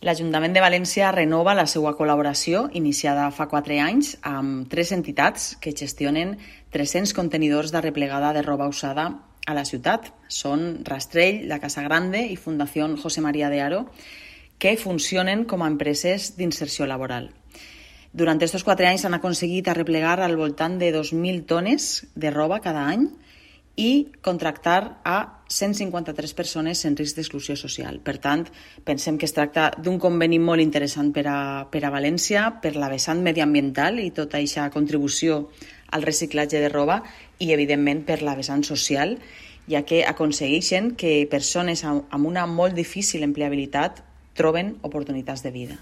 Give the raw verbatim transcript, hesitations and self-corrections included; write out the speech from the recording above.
L'Ajuntament de València renova la seva col·laboració, iniciada fa quatre anys, amb tres entitats que gestionen tres-cents contenidors de replegada de roba usada a la ciutat. Són Rastrell, la Casa Grande i Fundació José María de Haro, que funcionen com a empreses d'inserció laboral. Durant aquests quatre anys han aconseguit arreplegar al voltant de dos mil tones de roba cada any i contractar a cent cinquanta-tres persones en risc d'exclusió social. Per tant, pensem que es tracta d'un conveni molt interessant per a, per a València, per la vessant mediambiental i tota aquesta contribució al reciclatge de roba i, evidentment, per la vessant social, ja que aconsegueixen que persones amb una molt difícil empleabilitat troben oportunitats de vida.